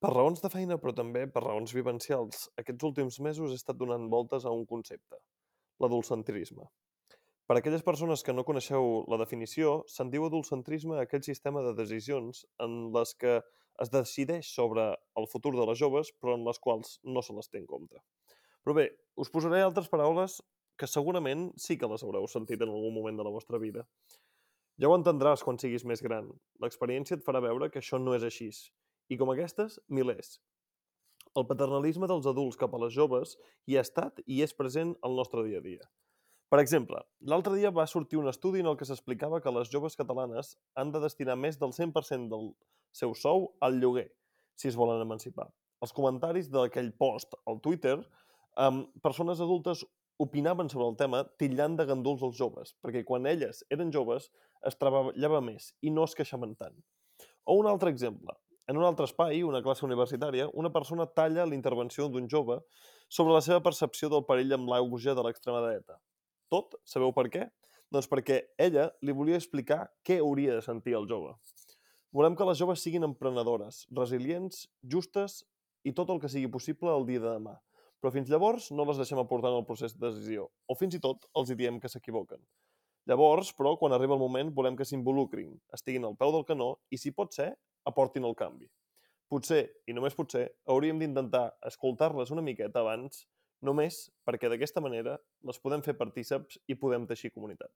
Per raons de feina, però també per raons vivencials, aquests últims mesos he estat donant voltes a un concepte, l'adultcentrisme. Per a aquelles persones que no coneixeu la definició, se'n diu adultcentrisme a aquell sistema de decisions en les que es decideix sobre el futur de les joves, però en les quals no se les té en compte. Però bé, us posaré altres paraules que segurament sí que les haureu sentit en algun moment de la vostra vida. Ja ho entendràs quan siguis més gran. L'experiència et farà veure que això no és així. I com aquestes, milers. El paternalisme dels adults cap a les joves hi ha estat i és present al nostre dia a dia. Per exemple, l'altre dia va sortir un estudi en el que s'explicava que les joves catalanes han de destinar més del 100% del seu sou al lloguer, si es volen emancipar. Els comentaris d'aquell post al Twitter, persones adultes opinaven sobre el tema titllant de ganduls els joves, perquè quan elles eren joves es treballava més i no es queixaven tant. O un altre exemple. En un altre espai, una classe universitària, una persona talla la intervenció d'un jove sobre la seva percepció del perill amb l'auge de l'extrema dreta. Tot, sabeu per què? Doncs perquè ella li volia explicar què hauria de sentir el jove. Volem que les joves siguin emprenedores, resilients, justes i tot el que sigui possible el dia de demà. Però fins llavors no les deixem aportar en el procés de decisió, o fins i tot els hi diem que s'equivoquen. Llavors, però, quan arriba el moment, volem que s'involucrin, estiguin al peu del canó i, si pot ser, aportin el canvi. Potser, i només potser, hauríem d'intentar escoltar-les una miqueta abans, només perquè d'aquesta manera les podem fer partíceps i podem teixir comunitat.